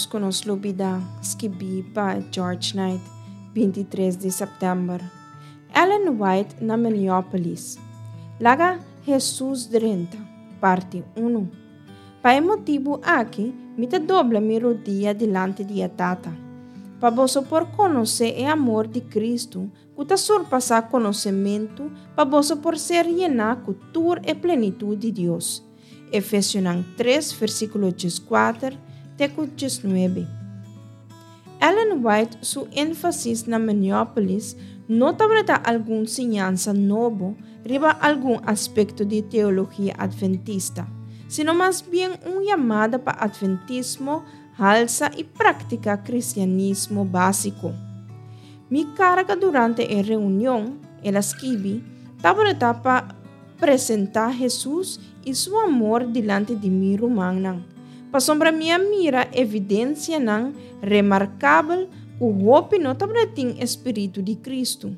ménos ku nos lubidá, skibí pa George Knight, 23 di sèptèmber. Ellen White na Minneapolis. Laga Hesus drenta, parti unu. Pa e motibu aki mi ta dobla mi rodia dilanti di e Tata, pa boso por konosé e amor di Kristu ku ta surpasá konosementu, pa boso por ser yená ku tur e plenitut di Dios. Efesionan tres versíkulo dieskuater te ku diesnuebe. Ellen White su énfasis na Minneapolis no tabata algun siñansa nobo riba algun aspekto di teologia adventista, sino mas bien un yamada pa adventismo halsa i praktiká kristianismo básiko. Mi karga durante e reunion, el a skibi, tabata pa presentá Hesus i su amor dilanti di mi rumannan, pasobra mi a mira evidensianan remarkabel ku hopi no tabata tin e spiritu di Kristu.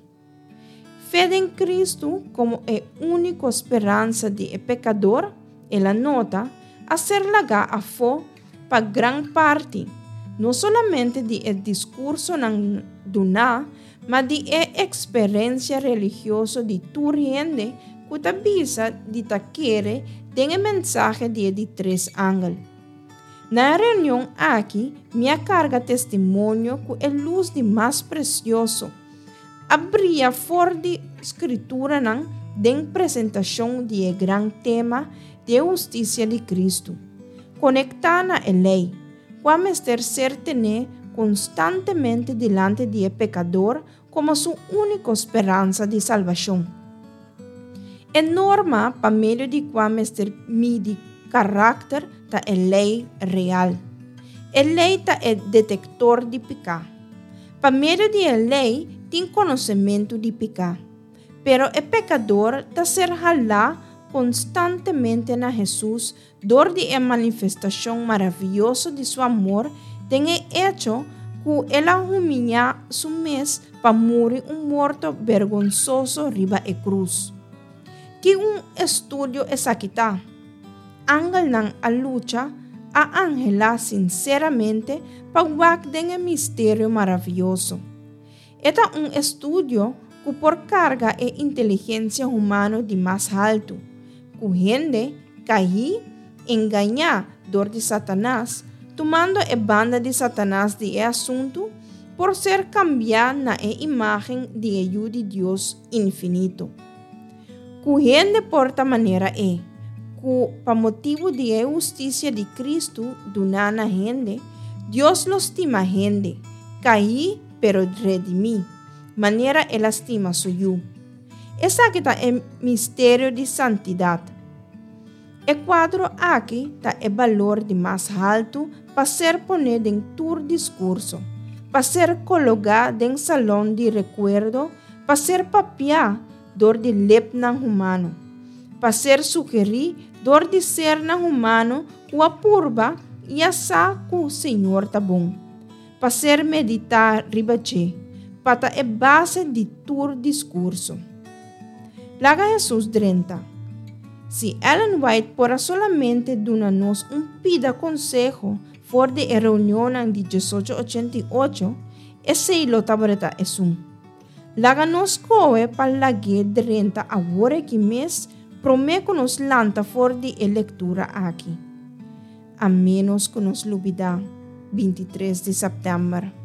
Fe den Kristu komo e úniko speransa di e pekador, el a nota, a ser lagá afó pa gran parti, no solamente di e diskursonan duná, ma di e eksperensia religioso di tur hende ku ta bisa di ta kere den e mensahe di e di tres angel. Na e reunion aki mi a karga testimonio ku e lus di mas presioso a bria for di Skrituranan den presentashon di e gran tema di e hustisia di Kristu, konektá na e lei, kua mester ser tené konstantemente dilanti di e pekador komo su úniko speransa di salbashon. E norma pa medio di kua mester midi karakter ta e lei real. E lei ta e detektor di piká. Pa medio di e lei tin konosementu di piká. Pero e pekador ta ser halá konstantemente na Hesus Dor di e manifestashon maravioso di su amor den e echo ku el a humiñá su mes pa muri un morto bergonsoso riba e krus. Ki un estudio esaki ta! Angelnan a lucha, a anhelá sinseramente pa wak den e misterio maravioso. E ta un estudio ku por karga e inteligensia humano di mas haltu, ku hende kaí, engañá dor di Satanas, tumando e banda di Satanas di e asuntu, por ser kambiá na e imágen di e Yu di Dios infinito. Ku hende por ta manera e, ku pa motibu di e hustisia di Kristu duná na hende, Dios lo stima hende, kaí pero redimí, manera el a stima su Yu. Esaki ta e misterio di santidat. E kuadro aki ta e balor di mas haltu pa ser poné den tur diskurso, pa ser kologá den salon di rekuerdo, pa ser papiá dor di lepnan humano, pa ser sugerí dor di sernan humano ku a purba i a sa ku Señor ta bon. Pa ser meditá riba dje, pa ta e base di tur diskurso. Laga Hesus drenta. Si Ellen White por a solamente duna nos un pida konseho for di e reunionnan di diesocho ochenta i ocho, esei lo tabata esun. Laga nos skohe pa lag'é drenta awor aki mes promé ku nos lanta for di e lektura aki. A ménos ku nos lubidá, 23 di sèptèmber.